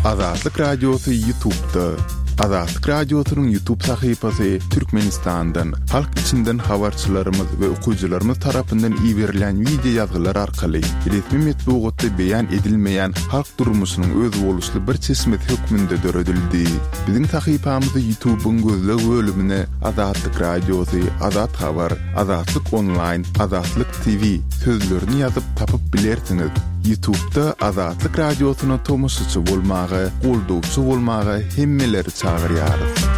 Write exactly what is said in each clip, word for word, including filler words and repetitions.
Azatlyk Radiosy YouTube'da. Azatlyk Radiosynyň YouTube sahypasy Türkmenistandan, halk içinden habarçylarymyz we okyjylarymyz tarapyndan iberilen wideo ýazgylar arkaly resmi metbugatda beýan edilmeýän halk durmuşynyň özboluşly bir çeşmesi hökmünde döredildi. Biziň sahypamyzy YouTube'yň gözleg bölümine Azatlyk Radiosy, Azat Habar, Azatlyk Online, Azatlyk T V sözlerini ýazyp tapyp bilersiňiz. YouTube'da Azatlyk Radiosyna tomaşaçy bolmaga, goldawçy bolmaga hemmeleri çagyrýarys.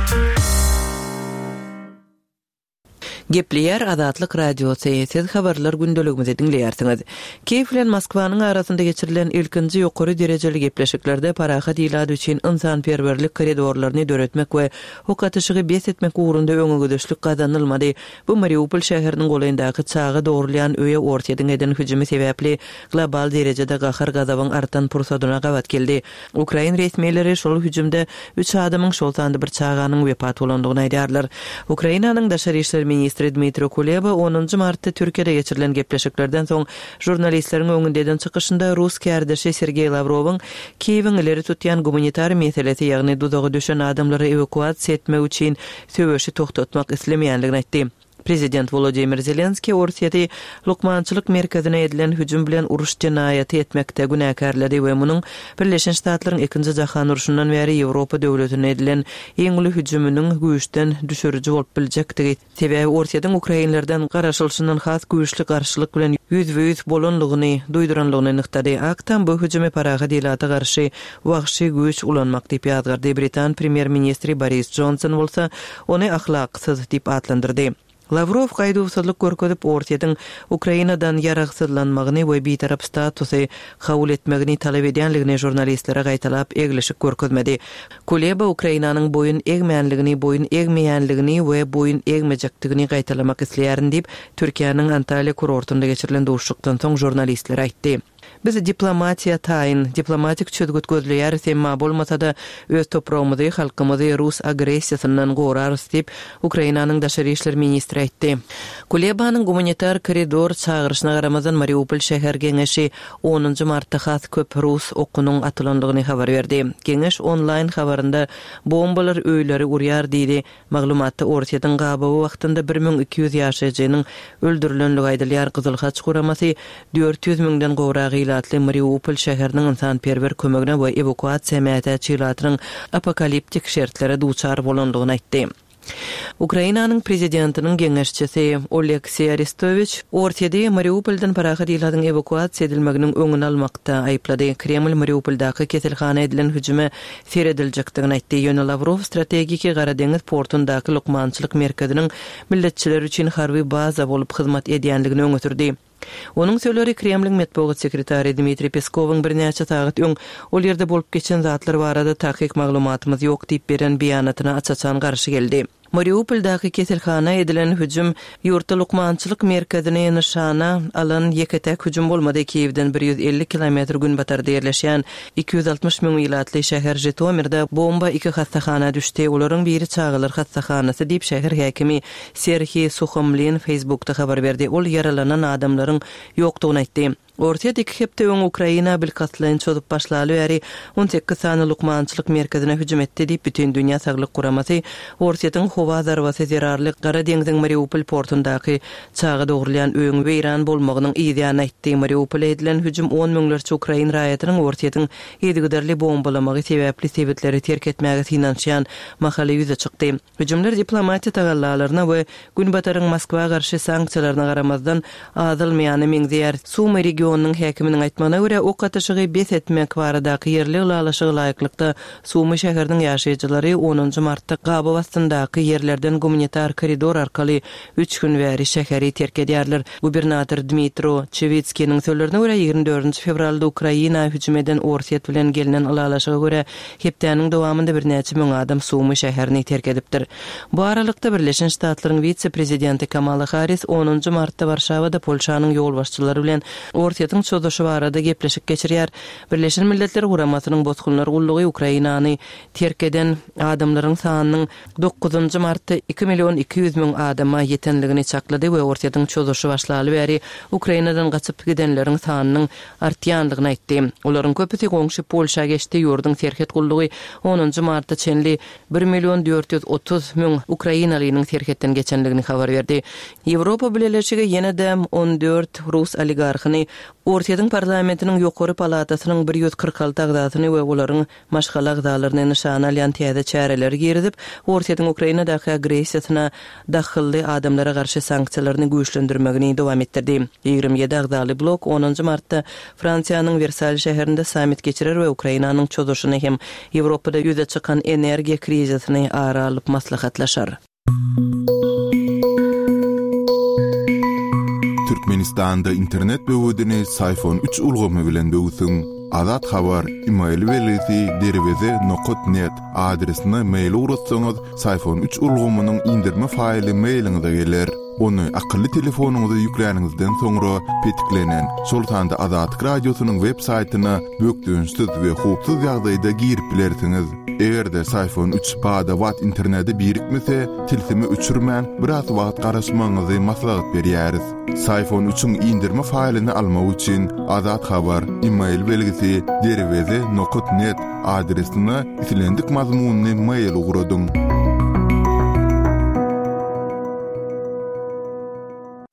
Gepleýär Azatlyk Radiosy, siz habarlar gündeligimizi diňleýärsiňiz. Kiýew bilen Moskwanyň arasynda geçirilen ilkinji ýokary derejeli gepleşiklerde parahat ilat üçin ynsanperwerlik koridorlaryny döretmek we ok atyşygy bes etmek ugrunda öňegidişlik gazanylmady. Bu Mariupol şäheriniň golaýyndaky çaga dogrulýan öýe Orsýetiň eden hüjümi sebäpli global derejede gahar gazabyň artan pursadyna gabat geldi. Ukrain resmileri şol hüjümde üç adamyň, şol sanda bir çaganyň wepat bolandygyny aýdýarlar. Ukrainanyň daşary işler ministri Dmitro Kuleba onunjy martda Türkiýede geçirilen gepleşiklerden soň žurnalistleriň öňünde eden çykyşynda rus kärdeşi Sergeý Lawrowyň Kiýewiň ileri tutýan gumanitar meselesi, ýagny duzaga düşen adamlary ewakuasiýa etmek üçin söweşi togtatmak islemeýänligini aýtdy. Prezident Volodymyr Zelenskiý Orsýeti lukmançylyk merkezine edilen hüjüm bilen uruş jenaýaty etmekde günäkärledi we munuň Birleşen Ştatlaryň Ikinji Jahan urşundan bäri Ýewropa döwletine edilen iň uly hüjüminiň güýçden düşüriji bolup biljekdigi, sebäbi Orsýetiň ukrainlerden garaşylyşyndan has güýçli garşylyk bilen ýüzbe-ýüz bolanlygyny duýduranlygyny nygtady. Ak Tam bu hüjümi parahat ilata garşy wagşy güýç ulanmak diýip ýazgardy. Britan premýer-ministri Boris Johnson bolsa ony ahlaksyz diýip atlandyrdy. Lawrow gaýduwsyzlyk görkezip Orsýetiň Ukrainadan ýaragsyzlanmagyny we bitarap statusy kabul etmegini talap edýänligini žurnalistlere gaýtalap eglişik görkezmedi. Kuleba Ukrainanyň boýun egmänligini, boýun egmeýänligini we boýun egmejekdigini gaýtalamak isleýärin diýip, Türkiýäniň Antalýa kurortynda geçirilen duşuşykdan soň žurnalistlere aýtdy. Biz diplomatiýa taýyn, diplomatik çözgüt gözleýäris, emma bolmasa-da öz topragymyzy, halkymyzy rus agressiýasyndan gorarys diýip, Ukrainanyň daşary işler ministri aýtdy. Kulebanyň gumanitar koridor çagyryşyna garamazdan Mariupol şäher geňeşi onunjy martda has köp rus okunyň atylandygyny habar berdi. Geňeş onlaýn habarynda bombalar öýleri urýar diýdi. Maglumatda Orsýetiň gabawy wagtynda bir müň iki ýüz ýaşaýjynyň öldürilenligi aýdylýar. Gyzyl Haç guramasy dört ýüz müňden gowrak ilatly Mariupol şäheriniň ynsanperwer kömegine we ewakuasiýa mätäç ilatynyň apokaliptik şertlere duçar bolandygyny aýtdy. Ukrainanyň prezidentiniň geňeşçisi Oleksiý Arestowiç Orsýeti Mariupoldan parahat ilatyň ewakuasiýa edilmeginiň öňüni almakda aýyplady. Kreml Mariupoldaky keselhana edilen hüjüme serediljekdigini aýtdy. Ýöne Lawrow strategiki Gara deňiz portundaky lukmançylyk merkeziniň milletçiler üçin harby baza bolup hyzmat edýänligini öňe sürdi. Onuň sözleri Kremliň metbugat sekretary Dmitriý Peskowyň birnäçe sagat öň ol ýerde bolup geçen zatlar barada takyk maglumatymyz ýok diýip beren beýanatyna aç-açan garşy geldi. Mariupoldaky keselhana edilen hüjüm ýurtda lukmançylyk merkezini nyşana alan ýeke-täk hüjüm bolmady. Kiýewden bir ýüz elli kilometr günbatarda ýerleşýän iki ýüz altmyş müň ilatly şäher Žitomirde bomba iki hassahana düşdi. Olaryň biri çagalar hassahanasy diýip şäher häkimi Serhiý Suhomlin Facebookda habar berdi. Ol ýaralanan adamlaryň ýokdugyny aýtdy. Orsýet iki hepde öň Ukraina bilkastlaýyn çozup başlaly bäri on sekiz sany lukmançylyk merkezine hüjüm etdi diýip Bütindünýä Saglyk Guramasy Orsýetiň howa zarbasy zerarly Gara deňziň Mariupol portundaky çaga dogrulýan öýüň weýran bolmagynyň yzýany aýtdy. Mariupola edilen hüjüm on müňlerçe ukrain raýatynyň Orsýetiň yzygiderli bombalamagy sebäpli sebitleri terk etmäge synanyşýan mahaly ýüze çykdy. Hüjümler diplomatiýa tagallalaryna we Günbataryň Moskwa garşy sanksiýalaryna garamazdan azalmaýana meňzeýär. Sumy regionynyň häkiminiň aýtmagyna görä, ok atyşygy bes etmek baradaky ýerli ylalaşyga laýyklykda Sumy şäheriniň ýaşaýjylary onunjy martda gabaw astyndaky ýerlerden gumanitar koridor arkaly üç gün bäri şäheri terk edýärler. Gubernator Dmitro Çewitskiniň sözlerine görä, ýigrimi dördünji fewralda Ukraina hüjüm eden Orsýet bilen gelnen ylalaşyga görä, hepdäniň dowamynda birnäçe müň adam Sumy şäherini terk edipdir. Bu aralykda Birleşen Ştatlaryň wise-prezidenti Kamala Harris onunjy martda Warşawada Polşanyň ýolbaşçylary bilen Orsýetiň Orsýetiň çozuşy barada gepleşik geçirýär. Birleşen Milletler Guramasynyň Bosgunlar gullugy Ukrainany terk eden adamlaryň sanynyň dokuzynjy martda iki million iki ýüz müň adama ýetenligini çaklady we Orsýetiň çozuşy başlaly bäri Ukrainadan gaçyp gidenleriň sanynyň artýandygyny aýtdy. Olaryň köpüsi goňşy Polşa geçdi, ýurduň serhet gullugy onunjy marta çenli bir million dört ýüz otuz müň ukrainalynyň serhetden geçenligini habar berdi. Ýewropa Bileleşigi ýene-de on dört rus oligarhyny Orsýetiň parlamentiniň ýokary palatasynyň bir ýüz kyrk alty agzasyny we olaryň maşgala agzalaryny nyşana alýan täze çäreleri girizip, Orsýetiň Ukrainadaky agressiýasyna dahylly adamlara garşy sanksiýalaryny güýçlendirmegini dowam etdirdi. Ýigrimi ýedi agzaly blok onunjy martda Fransiýanyň Wersal şäherinde sammit geçirer we Ukrainanyň çozuşyny hem Ýewropada ýüze çykan energiýa krizisini ara alyp maslahatlaşar. Türkmenistanda internet böwedini Syfon üç ulgamy bilen böwsüň. Azat Habar, e-mail belgisi derweze nokat net adresine mail ugratsaňyz, Syfon üç ulgamynyň indirme faýly mailiňize geler. Ony akylly telefonyňyza ýükläniňizden soňra petiklenen, şol sanda Azatlyk Radiosynyň web saýtyna bökdençsiz we howpsuz ýagdaýda girip bilersiňiz. Eger-de Syfon üç bada-bat internete birikmese, tilsimi öçürmän biraz wagt garaşmagyňyzy maslahat berýäris. Syfon üçiň indirme faýlyny almak üçin Azat Habar, e-mail belgisi derweze nokat net adresine islendik mazmunyny mail ugradyň.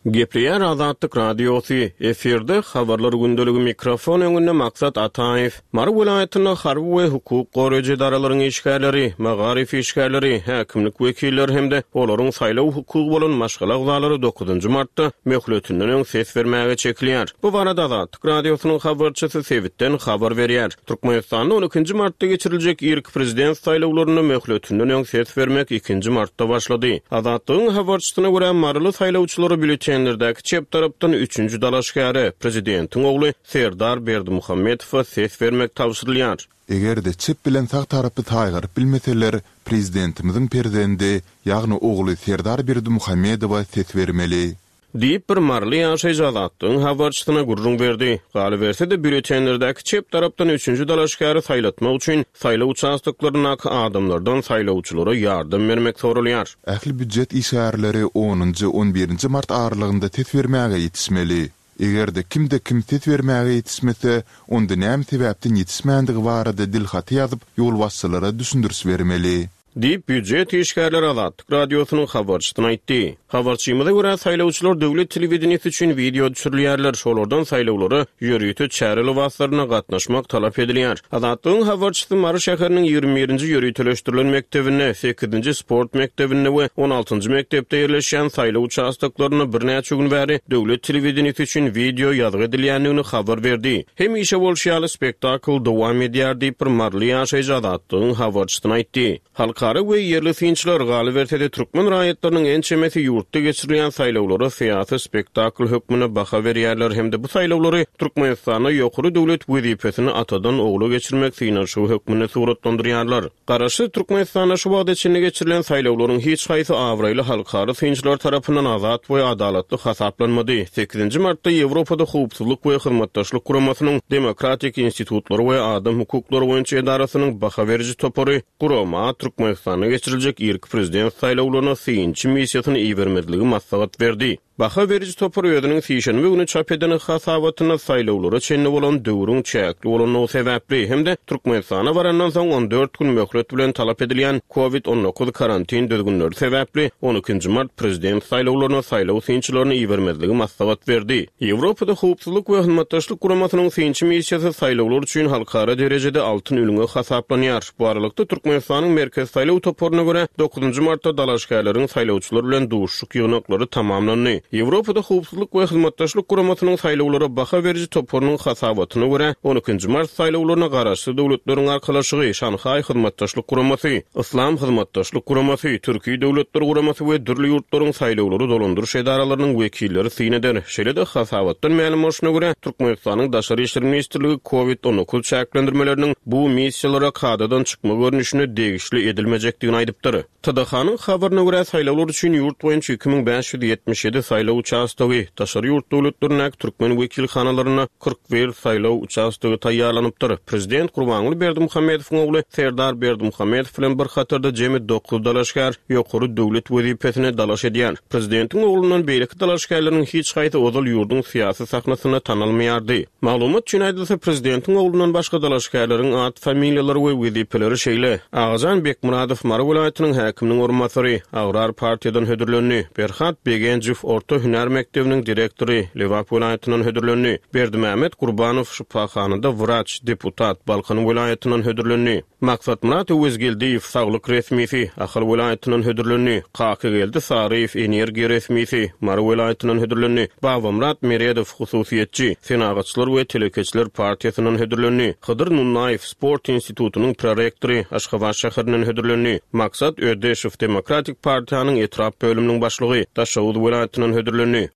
Gepleýär Azatlyk Radiosy, efirde habarlar gündeligi mikrofon öňünde Maksat Ataýew. Mary welaýatynda harby we hukuk goraýjy edaralaryň işgärleri, magaryf işgärleri, häkimlik wekilleri hem-de olaryň saýlaw hukugy bolan maşgala agzalary dokuzynjy martda möhletinden öň ses bermäge çekilýär. Bu barada Azatlyk Radiosynyň habarçysy sebitden habar berýär. Türkmenistanda on ikinji martda geçiriljek irki prezident saýlawlarynda möhletinden öň ses bermek ikinji martda başlady. Azatlygyň habarçysyna görä Maryly saýlawçylary býulletenlerdäki çep tarapdan üçünji dalaşgäre prezidentiň ogly Serdar Berdimuhamedowa ses bermek tabşyrylýar. Eger-de çep bilen sag tarapy saýgaryp bilmeseler, prezidentimiziň perzendi, ýagny ogly Serdar Berdimuhamedowa ses bermeli. Diýip bir Maryly ýaşaýjy Azatlygyň habarçysyna gürrüň berdi. Galyberse-de býulletenlerdäki çep tarapdan üçünji dalaşgäri saýlatmak üçin saýlaw uçastoklaryndaky adamlardan saýlawçylara ýardam bermek sorulýar. Ähli býujet işgärleri onunjy, on birinji mart aralygynda ses bermäge ýetişmeli. Eger-de kimde kim ses bermäge ýetişmese, onda näme sebäpden ýetişmändigi barada dilhaty ýazyp, ýolbaşçylara düşündiriş bermeli. Diýip býujet işgärleri Azatlyk Radiosynyň habarçysyna aýtdy. Habarçymyza görä saýlawçylar döwlet telewideniýesi üçin wideo düşürilýärler. Şolardan saýlawlara ýörite çäre lybaslaryna gatnaşmak talap edilýär. Azatlygyň habarçysy Mary şäheriniň ýigrimi birinji ýöriteleşdirilen mekdebinde, sekizinji sport mekdebinde we on altynjy mekdepde ýerleşýän saýlaw uçastoklarynda birnäçe gün bäri döwlet telewideniýesi üçin wideo ýazgy edilýändigini habar berdi. Hemişe bolşy ýaly spektakl dowam edýär diýip bir Maryly ýaşaýjy Azatlygyň habarçysyna aýtdy. Halkara we ýerli synçylar galyberse-de türkmen raýatlarynyň ençemesi ýurtda geçirilýän saýlawlara syýasy spektakl hökmünde baha berýärler hem-de bu saýlawlary Türkmenistanda ýokary döwlet wezipesini atadan ogla geçirmek synanyşygy hökmünde suratlandyrýarlar. Garaşsyz Türkmenistanda şu wagta çenli geçirilen saýlawlaryň hiç haýsy abraýly halkara synçylar tarapyndan azat we adalatly hasaplanmady. Sekizinji martda Ýewropada Howpsuzlyk we Hyzmatdaşlyk Guramasynyň Demokratik institutlary we adam hukuklary boýunça edarasynyň baha beriji topary gurama Türkmenistanda geçiriljek irki prezident saýlawlaryna synçy missiýasyny ibermezligi maslahat berdi. Baha beriji topar özüniň sişenbe günü çap eden hasabatyna saýlawlara çenli bolan döwrüň çäkli bolandygy sebäpli hem-de Türkmenistana barandan soň on dört gün möhlet bilen talap edilýän COVID on dokuz karantin düzgünleri sebäpli on ikinji mart prezident saýlawlaryna saýlaw synçylaryny ibermezligi maslahat berdi. Ýewropada Howpsuzlyk we Hyzmatdaşlyk Guramasynyň synçy missiýasy saýlawlar üçin halkara derejede altyn ülňe hasaplanýar. Bu aralykda Türkmenistanyň Merkez saýlaw toparyna görä dokuzynjy martda dalaşgärleriň saýlawçylar bilen duşuşyk ýygnaklary tamamlandy. Ýewropada Howpsuzlyk we Hyzmatdaşlyk Guramasynyň saýlawlara baha beriji toparynyň hasabatyna görä on ikinji mart saýlawlaryna garaşsyz döwletleriň arkalaşygy, Şanhaý Hyzmatdaşlyk Guramasy, Yslam Hyzmatdaşlyk Guramasy, Türkiýe Döwletler Guramasy we dürli ýurtlaryň saýlawlary dolandyryş edaralarynyň wekilleri syn eder. Şeýle-de hasabatdan mälim bolşuna görä Türkmenistanyň Daşary işler ministrligi COVID on dokuz çäklendirmeleriniň bu missiýalara kadadan çykma görnüşine degişli edilmeli bilmejekdigini aýdypdyr. T D H-nyň habaryna görä, saýlawlar üçin ýurt boýunça iki müň bäş ýüz ýetmiş ýedi saýlaw uçastogy, daşary ýurt döwletlerindäki türkmen wekilhanalarynda kyrk bir saýlaw uçastogy taýýarlanypdyr. Prezident Gurbanguly Berdimuhamedowyň ogly Serdar Berdimuhamedow bilen bir hatarda jemi dokuz dalaşgär ýokary döwlet wezipesine dalaş edýär. Prezidentiň oglundan beýleki dalaşgärleriň hiç haýsy ozal ýurduň syýasy sahnasynda tanalmaýardy. Maglumat üçin aýdylsa, prezidentiň oglundan başga dalaşgärleriň at, familiýalary we wezipeleri şeýle: Agajan Bekmuradow Mary welaýatynyň häkiminiň orunbasary, Agrar partiýadan hödürlendi. Berhat Begenjew orta hünär mekdebiniň direktory, Lebap welaýatyndan hödürlendi. Berdimämmet Gurbanow şypahanada wraç, deputat, Balkan welaýatyndan hödürlendi. Maksatmyrat Öwezgeldiýew saglyk resmisi, Ahal welaýatyndan hödürlendi. Kakygeldi Saryýew energiýa resmisi, Mary welaýatyndan hödürlendi. Babamyrat Meredow hususyýetçi, Senagatçylar we telekeçiler partiýasyndan hödürlendi. Hydyr Nunnaýew sport institutynyň prorektory, Aşgabat şäherinden hödürlendi. Maksat Ödeşow Demokratik partiýanyň etrap bölüminiň başlygy, Daşoguz welaýatyndan hödürlendi.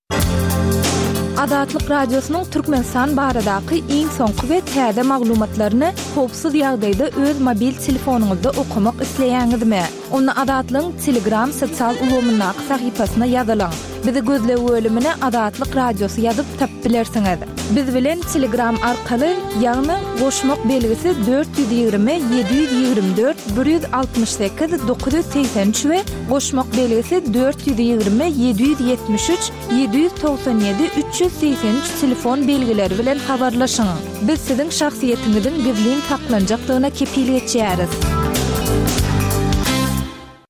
Azatlyk Radiosynyň Türkmenistan baradaky iň soňky we täze maglumatlaryny howpsuz ýagdaýda öz mobil telefonyňyzda okamak isleýäňizmi? Onda Azatlygyň Telegram sosial ulgamyndaky sahypasyna ýazylyň. Bizi gözleg bölümine Azatlyk Radiosy ýazyp tapyp bilersiňiz. Biz bilen Telegram arkaly, ýagny goşmak belgisi dört ýüz ýigrimi ýedi ýüz ýigrimi dört bir ýüz altmyş sekiz dokuz ýüz segsen üç we goşmak belgisi dört ýüz ýigrimi ýedi ýüz ýetmiş üç ýedi ýüz togsan ýedi üç ýüz segsen üç telefon belgileri bilen habarlaşyň. Biz siziň şahsyýetiňiziň gizlin saklanjakdygyna kepil geçýäris.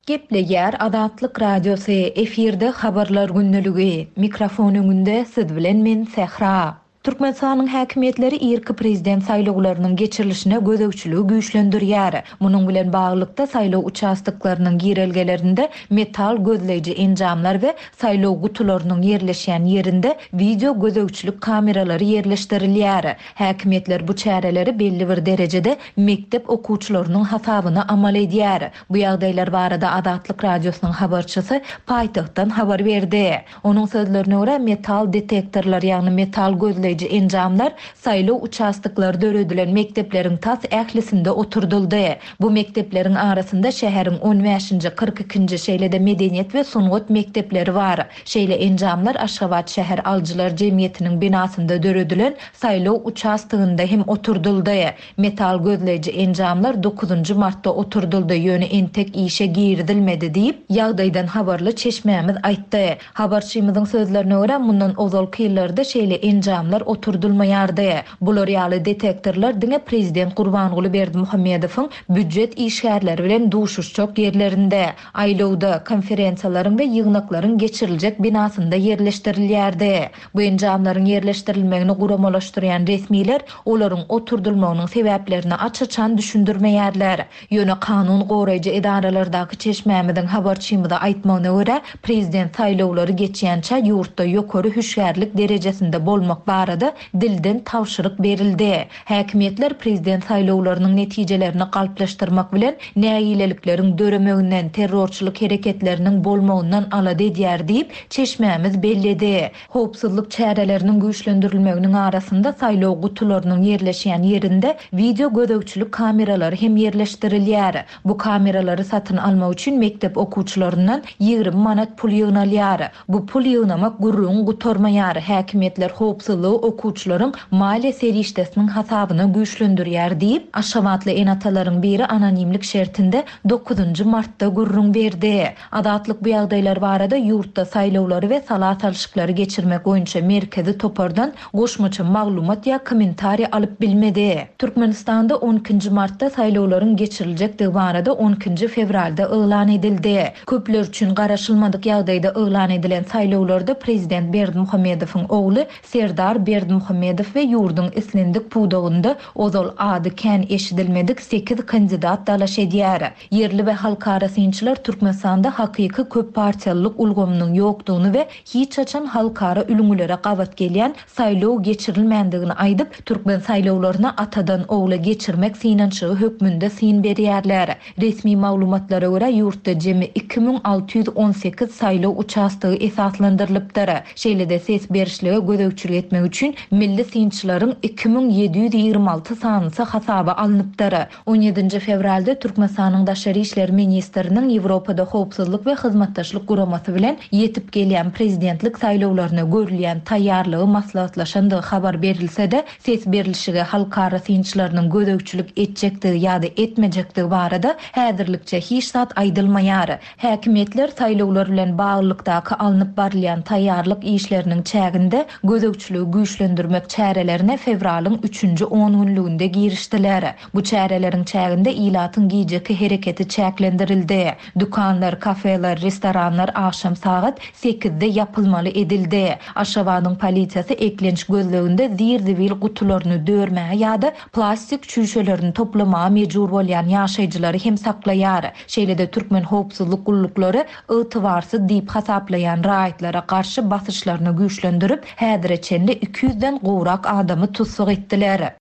Gepleýär Azatlyk Radiosy, efirde habarlar gündeligi. Mikrofon öňünde siz bilen men Sähra. Türkmenistanyň häkimiýetleri irki prezident saýlawlarynyň geçirilişine gözegçiligi güýçlendirýär. Munuň bilen baglylykda saýlaw uçastoklarynyň girelgelerinde metal gözleýji enjamlar we saýlaw gutularynyň ýerleşýän ýerinde wideo gözegçilik kameralary ýerleşdirilýär. Häkimiýetler bu çäreleri belli bir derejede mektep okuwçylarynyň hasabyna amal edýär. Bu ýagdaýlar barada Azatlyk Radiosynyň habarçysy paýtagtdan habar berdi. Onuň sözlerine görä metal detektorlar, ýagny metal gözleýji enjamlar saýlaw uçastoklary döredilen mekdepleriň tas ählisinde oturdyldy. Bu mekdepleriň arasynda şäheriň on bäşinji, kyrk ikinji, şeýle-de medeniýet we sungat mekdepleri bar. Şeýle enjamlar Aşgabat şäher alyjylar jemgyýetiniň binasynda döredilen saýlaw uçastogynda hem oturdyldy. Metal gözleýji enjamlar dokuzynjy martda oturdyldy, ýöne entek işe girizilmedi diýip, ýagdaýdan habarly çeşmämiz aýtdy. Habarçymyzyň sözlerine görä mundan ozalky ýyllarda şeýle enjamlar oturdylmaýardy. Bular ýaly detektorlar diňe prezident Gurbanguly Berdimuhamedowyň býujet işgärleri bilen duşuşjak ýerlerinde, aýlawda, konferensiýalaryň we ýygnaklaryň geçiriljek binasynda ýerleşdirilýärdi. Bu enjamlaryň ýerleşdirilmegini guramalaşdyrýan resmiler olaryň oturdylmagynyň sebäplerini aç-açan düşündirmeýärler. Ýöne kanun goraýjy edaralardaky çeşmämiziň habarçymyza aýtmagyna görä, prezident saýlawlary geçýänçä ýurtda ýokary hüşgärlik derejesinde bolmak barada dilden tabşyryk berildi. Häkimiýetler prezident saýlawlarynyň netijelerini galplaşdyrmak bilen nägilelikleriň döremeginden, terrorçylyk hereketleriniň bolmagyndan alada edýär diýip, çeşmämiz belledi. Howpsuzlyk çäreleriniň güýçlendirilmeginiň arasynda saýlaw gutularynyň ýerleşýän ýerinde wideo gözegçilik kameralary hem ýerleşdirilýär. Bu kameralary satyn almak üçin mektep okuwçylaryndan ýigrimi manat pul ýygnalýar. Bu pul ýygnamak gürrüň gutarmaýar. Häkimiýetler howpsuzlygy okuwçylaryň maliýe serişdesiniň hasabyna güýçlendirýär diýip, Aşgabatly ene-atalaryň biri anonimlik şertinde dokuzynjy martda gürrüň berdi. Azatlyk bu ýagdaýlar barada ýurtda saýlawlary we sala salşyklary geçirmek boýunça merkezi topardan goşmaça maglumat ýa kommentariý alyp bilmedi. Türkmenistanda on ikinji martda saýlawlaryň geçiriljekdigi barada on ikinji fewralda yglan edildi. Köpler üçin garaşylmadyk ýagdaýda yglan edilen saýlawlarda prezident Berdimuhamedowyň ogly Serdar Berdimuhamedow we ýurduň islendik pudagynda ozal ady kän eşidilmedik sekiz kandidat dalaş edýär. Ýerli we halkara synçylar Türkmenistanda hakyky köp partiýalylyk ulgamynyň ýokdugyny we hiç haçan halkara ülňülere gabat gelýän saýlaw geçirilmändigini aýdyp, türkmen saýlawlaryna atadan ogla geçirmek synanyşygy hökmünde syn berýärler. Resmi maglumatlara görä ýurtda jemi iki müň alty ýüz on sekiz saýlaw uçastogy esaslandyrylypdyr. Şeýle-de ses berişlige gözegçilik etmek üçin milli synçylaryň iki müň ýedi ýüz ýigrimi alty sanysy hasaba alnypdyr. On ýedinji fewralda Türkmenistanyň Daşary işler ministriniň Ýewropada howpsuzlyk we hyzmatdaşlyk guramasy bilen ýetip gelýän prezidentlik saýlawlaryna görülýän taýýarlygy maslahatlaşandygy habar berilse-de, ses berilişige halkara synçylarynyň gözegçilik etjekdigi ýa-da etmejekdigi barada häzirlikçe hiç zat aýdylmaýar. Häkimiýetler saýlawlar bilen baglylykdaky alnyp barylýan taýýarlyk işleriniň çäginde gözegçiligi güýçlendirmek çärelerine fewralyň üçünji on günlüginde girişdiler. Bu çäreleriň çäginde ilatyň gijeki hereketi çäklendirildi. Dükanlar, kafeler, restoranlar akşam sagat sekizde ýapylmaly edildi. Aşgabadyň polisiýasy eklenç gözleginde zir-zibil gutularyny dörmäge ýa-da plastik çüýşelerini toplamaga mejbur bolýan ýaşaýjylary hem saklaýar. Şeýle-de türkmen howpsuzlyk gulluklary ygtybarsyz diýip hasaplaýan raýatlara garşy basyşlaryny güýçlendirip, häzire çenli iki ýüzden gowrak adamy tussag etdiler.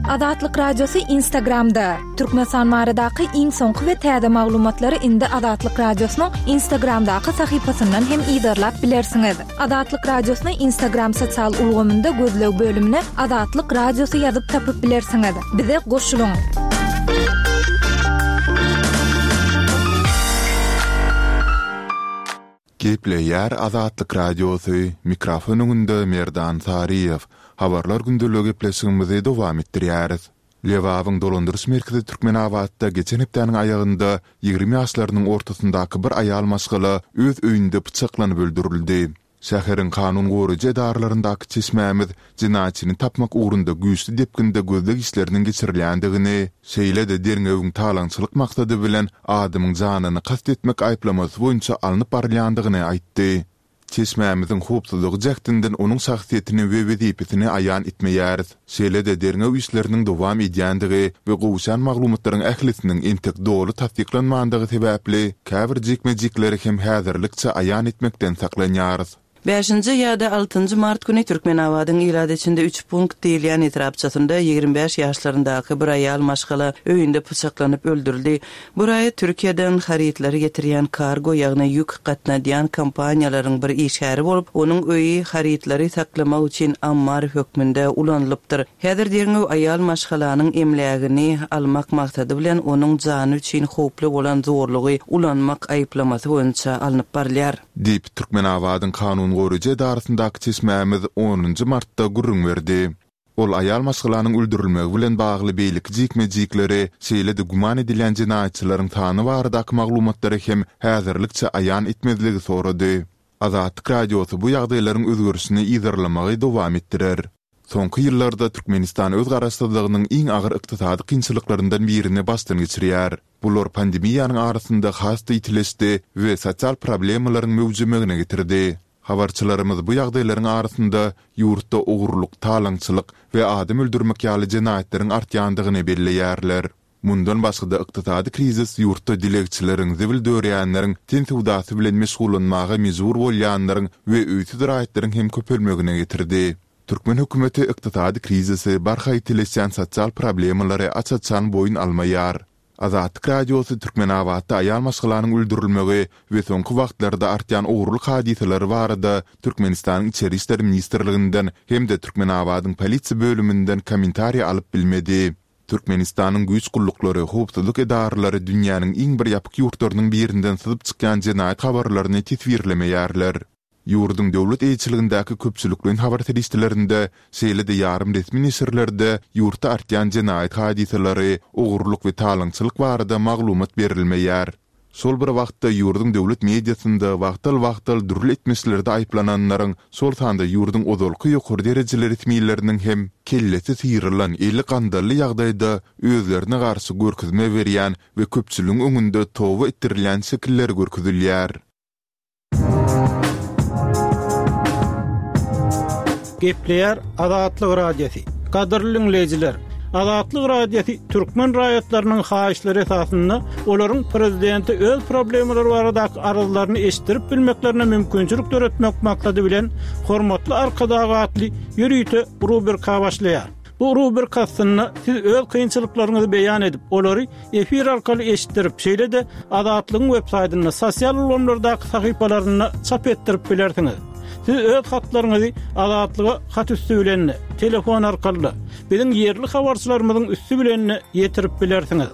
Azatlyk Radiosy Instagramda. Türkmenistan baradaky iň soňky we täze maglumatlary indi Azatlyk Radiosynyň Instagramdaky sahypasyndan hem yzarlap bilersiňiz. Azatlyk Radiosyny Instagram sosial ulgamynda gözleg bölümine Azatlyk Radiosy ýazyp tapyp bilersiňiz. Bize goşulyň. Gepleýär Azatlyk Radiosy, mikrofon öňünde Merdan Saryýew. Habarlar gündeligi gepleşigimizi dowam etdirýäris. Lebabyň dolandyryş merkezi Türkmenabatda geçen hepdäniň aýagynda ýigrimi ýaşlarynyň ortasyndaky bir aýal maşgala öz öýünde pyçaklanyp öldürildi. Şäheriň kanun goraýjy edaralaryndaky çeşmämiz jenaýatçyny tapmak ugrunda güýçli depginde gözleg işleriniň geçirilýändigini, şeýle-de derňewiň talaňçylyk maksady bilen adamyň janyny kast etmek aýyplamasy boýunça alnyp barylýandygyny aýtdy. Çeşmämiziň howpsuzlygy jähtinden onuň şahsyýetini we wezipesini aýan etmeýäris. Şeýle-de derňew işleriniň dowam edýändigi we gowşan maglumatlaryň ählisiniň entek doly tassyklanmandygy sebäpli käbir jikme-jikleri hem häzirlikçe aýan etmekden saklanýarys. Bäşinji ýa-da altynjy mart güni Türkmenabadyň ilat içinde üç punkt diýilýän etrapçasynda ýigrimi bäş ýaşlaryndaky bir aýal maşgala öýünde pyçaklanyp öldürildi. Bu raýat Türkiýeden harytlary getirýän kargo, ýagny ýük gatnadýan kompaniýalaryň bir işgäri bolup, onuň öýi harytlary saklamak üçin ammar hökmünde ulanylypdyr. Häzir derňew aýal maşgalanyň emlägini almak maksady bilen onuň jany üçin howply bolan zorlugy ulanmak aýyplamasy boýunça alnyp barylýar. Diýip, Türkmenabadyň kanun goraýjy edarasyndaky çeşmämiz onunjy martda gürrüň berdi. Ol aýal maşgalanyň öldürilmegi bilen bagly beýleki jikme-jikleri, şeýle-de güman edilýän jenaýatçylaryň sany baradaky maglumatlary hem häzirlikçe aýan etmezligi sorady. Azatlyk Radiosy bu ýagdaýlaryň özgerişini yzarlamagy dowam etdirer. Soňky ýyllarda Türkmenistan öz garaşsyzlygynyň iň agyr ykdysady kynçylyklaryndan birini başdan geçirýär. Bular pandemiýanyň arasynda has-da ýitileşdi we sosial problemalaryň möwjemegine getirdi. Habarçylarymyz bu ýagdaýlaryň arasynda ýurtda ogurlyk, talaňçylyk we adam öldürmek ýaly jenaýatlaryň artýandygyny belleýärler. Mundan başga-da ykdysady krizis ýurtda dilegçileriň, zibil dörýänleriň, ten söwdasy bilen meşgullanmaga mejbur bolýanlaryň we öýsüz raýatlaryň hem köpelmegine getirdi. Türkmen hökümeti ykdysady krizisi, barha ýitileşýän sosial problemalary aç-açan boýun almaýar. Azatlyk Radiosy Türkmenabatda aýal maşgalanyň öldürilmegi we soňky wagtlarda artýan ogurlyk hadysalary barada Türkmenistanyň Içeri işler ministrliginden hem-de Türkmenabadyň polisiýa bölüminden kommentariý alyp bilmedi. Türkmenistanyň güýç gulluklary, howpsuzlyk edaralary dünýäniň iň bir ýapyk ýurtlarynyň birinden syzyp çykýan jenaýat habarlaryny teswirlemeýärler. Ýurduň döwlet eýeçiligindäki köpçülikleýin habar serişdelerinde, şeýle-de ýarym resmi neşirlerde ýurtda artýan jenaýat hadysalary, ogurlyk we talaňçylyk barada maglumat berilmeýär. Şol bir wagtda ýurduň döwlet mediasynda wagtal-wagtal dürli etmişlerde aýyplananlaryň, şol sanda ýurduň ozalky ýokary derejeli resmileriniň hem kellesi syrylan, eli gandally ýagdaýda özlerine garşy görkezme berýän we köpçüligiň öňünde toba etdirilýän şekilleri görkezilýär. Gepleýär Azatlyk Radiosy. Gadyrly dinleýjiler, Azatlyk Radiosy türkmen raýatlarynyň haýyşlary esasynda olaryň prezidente öz problemalary baradaky arzlaryny eşitdirip bilmeklerine mümkinçilik döretmek maksady bilen Hormatly Arkadag atly ýörite rubrika başlaýar. Bu rubrika astynda siz öz kynçylyklaryňyzy beýan edip, olary efir arkaly eşitdirip, şeýle-de Azatlygyň web saýtynda, sosial ulgamlardaky sahypalarynda çap etdirip bilersiňiz. Siz öz hatlaryňyzy Azatlyga hat üsti bilen, telefon arkaly, biziň ýerli habarçylarymyzyň üsti bilen ýetirip bilersiňiz.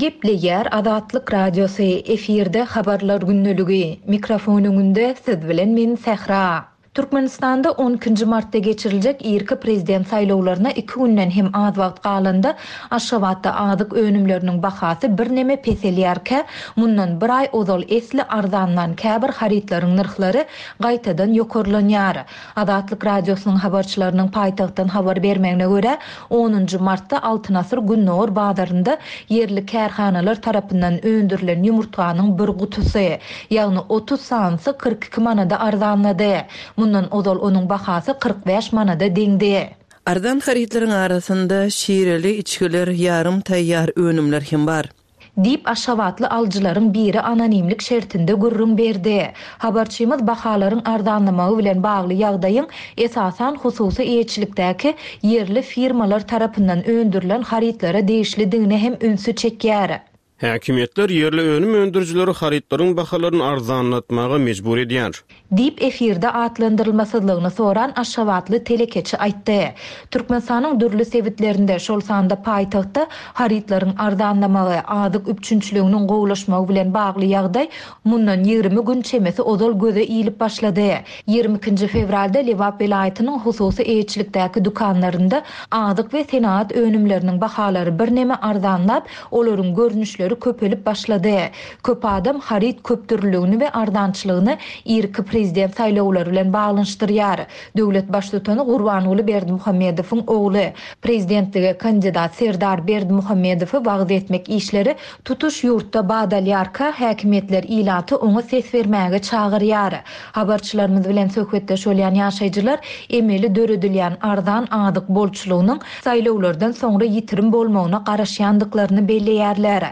Gepleýär Azatlyk Radiosy, efirde habarlar gündeligi, mikrofon öňünde siz bilen men Sähra. Türkmenistanda on ikinji martda geçiriljek irki prezident saýlawlaryna iki günden hem az wagt galanda Aşgabatda azyk önümleriniň bahasy birneme peselýärkä, mundan bir aý ozal esli arzanlan käbir harytlaryň nyrhlary gaýtadan ýokarlanýar. Azatlyk Radiosynyň habarçylarynyň paýtagtdan habar bermegine görä, onunjy martda Altyn Asyr Gündogar bazarynda ýerli kärhanalar tarapyndan öndürilen ýumurtganyň bir gutusy, ýagny otuz sanysy kyrk iki manada arzanlady. Mundan ozal onuň bahasy kyrk bäş manada deňdi. Arzan harytlaryň arasynda şireli içgiler, ýarym taýýar önümler hem bar. Diýip Aşgabatly alyjylaryň biri anonimlik şertinde gürrüň berdi. Habarçymyz bahalaryň arzanlamagy bilen bagly ýagdaýyň esasan hususy eýeçilikdäki ýerli firmalar tarapyndan öndürilen harytlara degişlidigine hem ünsi çekýär. Häkimiýetler ýerli önüm öndürijileri harytlaryň bahalaryny arzanlatmaga mejbur edýär. Diýip efirde atlandyrylmasyzlygyny soran Aşgabatly telekeçi aýtdy. Türkmenistanyň dürli sebitlerinde, şol sanda paýtagtda harytlaryň arzanlamagy, azyk üpjünçiliginiň gowulaşmagy bilen bagly ýagdaý mundan ýigrimi gün çemesi ozal göze ilip başlady. Ýigrimi ikinji fewralda Lebap welaýatynyň hususy eýeçilikdäki dükanlarynda azyk we senagat önümleriniň bahalary birneme arzanlap, olaryň görnüşleri köpelip başlady. Köp adam haryt köpdürlüligini we arzançylygyny irki prezident saýlawlary bilen baglanyşdyrýar. Döwlet baştutany Gurbanguly Berdimuhamedowyň ogly, prezidentlige kandidat Serdar Berdimuhamedowy wagyz etmek işleri tutuş ýurtda badalýarka, häkimiýetler ilaty oňa ses bermäge çagyrýar. Habarçylarymyz bilen söhbetdeş bolýan ýaşaýjylar emeli döredilýän arzan azyk bolçulygynyň saýlawlardan soňra ýitirim bolmagyna garaşýandyklaryny belleýärler.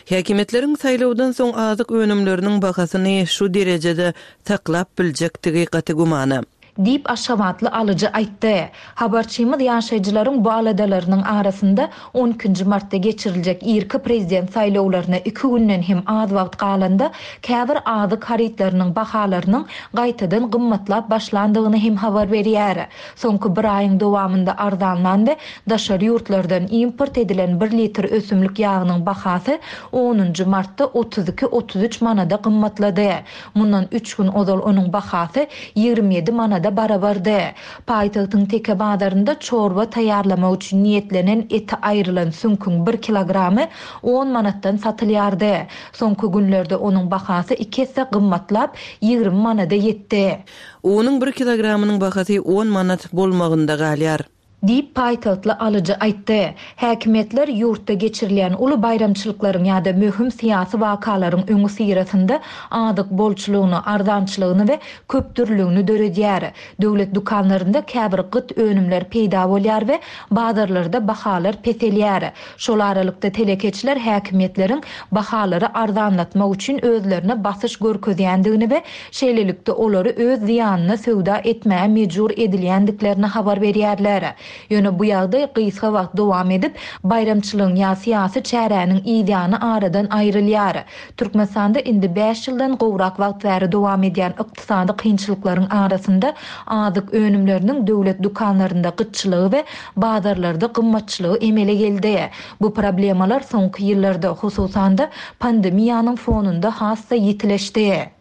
Häkimiýetleriň saýlawdan soň azyk önümleriniň bahasyny şu derejede saklap biljekdigi gaty gümana. Diýip Aşgabatly alyjy aýtdy. Habarçymyz ýaşaýjylaryň bu aladalarynyň arasynda on ikinji martda geçiriljek irki prezident saýlawlaryna iki günden hem az wagt galanda käbir azyk harytlarynyň bahalarynyň gaýtadan gymmatlap başlandygyny hem habar berýär. Soňky bir aýyň dowamynda arzanlan we daşary ýurtlardan import edilen bir litr ösümlik ýagynyň bahasy onunjy martda otuz iki otuz üç manada gymmatlady. Mundan üç gün ozal onuň bahasy ýigrimi ýedi manada barabardy. Paýtagtyň teke bazarynda çorba taýýarlamak üçin niýetlenen eti aýrylan süňküň bir kilogramy on manatdan satylýardy. Soňky günlerde onuň bahasy iki esse gymmatlap ýigrimi manada ýetdi. Onuň bir kilogramynyň bahasy on manat bolmagynda galýar. Diýip paýtagtly alyjy aýtdy. Häkimiýetler ýurtda geçirilýän uly baýramçylyklaryň ýa-da möhüm syýasy wakalaryň öňi syrasynda azyk bolçulygyny, arzançylygyny we köpdürlüligini döredýär. Döwlet dükanlarynda käbir gyt önümler peýda bolýar we bazarlarda bahalar peselýär. Şol aralykda telekeçiler häkimiýetleriň bahalary arzanlatmak üçin özlerine basyş görkezýändigini we şeýlelikde olary öz zyýanyna söwda etmäge mejbur edilýändiklerini habar berýärler. Ýöne bu ýagdaý gysga wagt dowam edip, baýramçylygyň ýa syýasy çäräniň ýany aradan aýrylýar. Türkmenistanda indi bäş ýyldan gowrak wagt bäri dowam edýän ykdysady kynçylyklaryň arasynda azyk önümleriniň döwlet dükanlarynda gytçylygy we bazarlarda gymmatçylygy emele geldi. Bu problemalar soňky ýyllarda, hususan-da pandemiýanyň fonunda has-da ýitileşdi.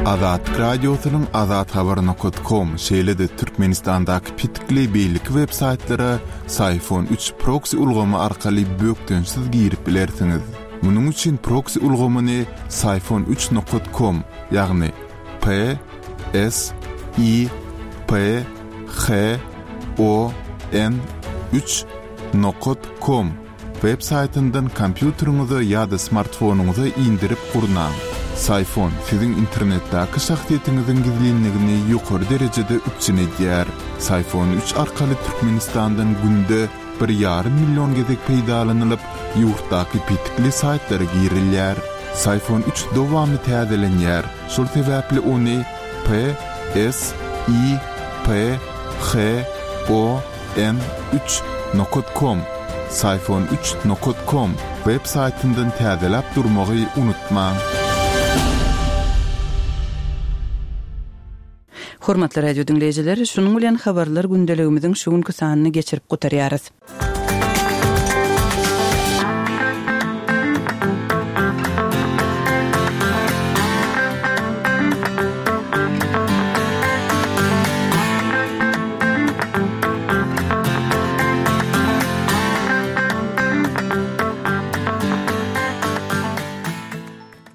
Azatlyk Radiosynyň Azat Habar nokta com, şeýle-de Türkmenistandaky pitikli beýleki web saýtlara Syfon üç proxy ulgamy arkaly bökdençsiz girip bilersiňiz. Munuň üçin proxy ulgamyny Syfon üç nokta com, ýagny P S I P H O N üç nokta com web saýtyndan kompýuteriňize ýa-da smartfonyňyza indirip gurnaň. Syfon siziň internetdäki şahsyýetiňiziň gizlinligini ýokary derejede üpjün edýär. Syfon üç arkaly Türkmenistandan günde bir ýarym million gezek peýdalanylyp, ýurtdaky pitikli saýtlara girilýär. Psiphon üç dowamly täzelenýär, şol sebäpli ony P S I P H O N üç nokat kom, Psiphon üç nokat kom, web saýtyndan täzeläp durmagy unutmaň. Hormatly radio diňleýjiler, şunuň bilen habarlar gündeligimiziň şu günki sanyny geçirip gutarýarys.